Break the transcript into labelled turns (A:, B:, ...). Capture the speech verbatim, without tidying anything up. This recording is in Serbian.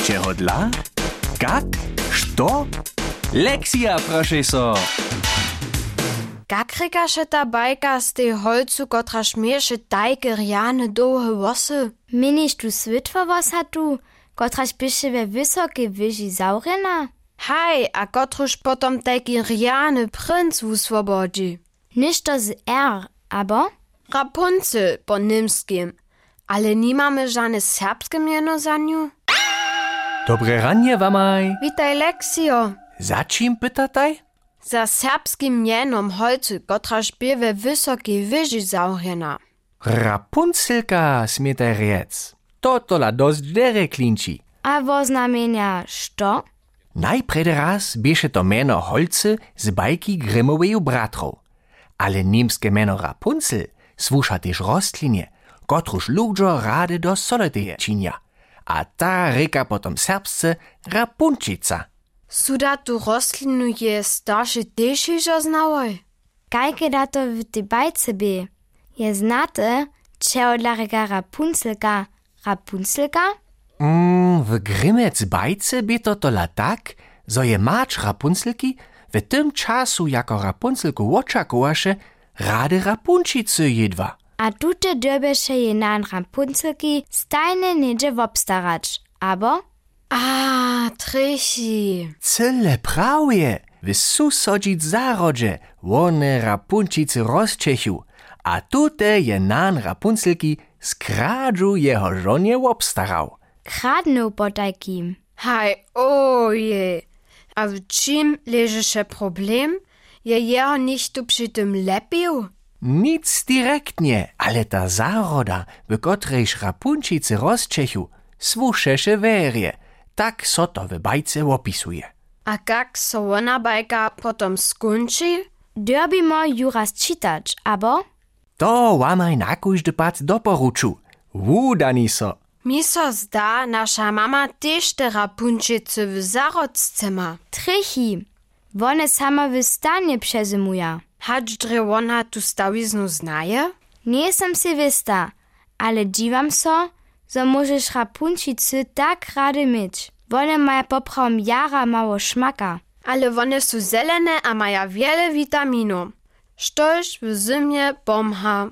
A: Čeho dla? Kak? Što? Lekcja, proszę so.
B: Kak rekaše ta bajka z tej holcu, kotra šmieše tajke rjane dłuhe włosy?
C: Miniš tu switwa wosa tu, kotraž piše we wysokiej wyži zaurena?
B: Haj, a kotruž potom tajki rjane princ uswobodzi?
C: Niż to z R, abo?
B: Rapunzel po nimskim. Ale nie mamy żadne serbskie miano za nią?
A: Dobre ranie, wamaj.
B: Witaj, Leksio.
A: Za czym pytataj?
B: Za serbskim mienom holcu, kotra špie we wysokiej wyži zaurena.
A: Rapunzelka, smietaj riec. To tola dość dere klinči.
C: A wo znamienia što?
A: Najprej raz bieše to meno holce z bajki Grimmoweju bratrov. Ale niemskie meno Rapunzel słucha też rostlinie, kotruż ludzo rade do soloteje činia. A ta reka potom serbsce Rapunčica.
B: Suda tu rostlinu je starszy też już znałoj?
C: Kajke da to w tej bajce by? Je znate, čeho dla reka Rapunzelka Rapunzelka?
A: Mm, w Grimmec bajce by to tola tak, zo je macz Rapunzelki w tym czasu jako Rapunzelku očakovaše rade Rapunčice jedva.
C: A tute dyrbeše je nan Rapunzelki stajne niedzie wobstarać, abo?
B: A, Trichi.
A: Cyle prawie, w susodzic zarodzie, one Rapunčice rozčechu, a tute je nan Rapunzelki skradżu jeho żonie obstarał.
C: Kradnął po takim.
B: Haj, oje. A w czym leży się problem? Je jeho nicht tu przy tym lepił?
A: Nic direktnie, ale ta zaroda, w którejż Rapunčice rozčechu, słušeše werie. Tak so to w bajce opisuje.
B: A kak so ona bajka potom skonči?
C: Dörbimo ju raz čitać, abo?
A: To łamaj na kóżdy pat doporuču. Wudani so.
B: Mi so zda, nasza mama też te Rapunčice w zarodce ma.
C: Trichi, one sama w stanie przezymuja.
B: Hacz drewona tu stawiznu znaje?
C: Nie jestem si wista, ale dziwam so, że możesz Rapunčicy tak rady mieć. One mają poprawom jara mało szmaka.
B: Ale one są zelene a mają wiele witaminów. Štož w zimie pomha.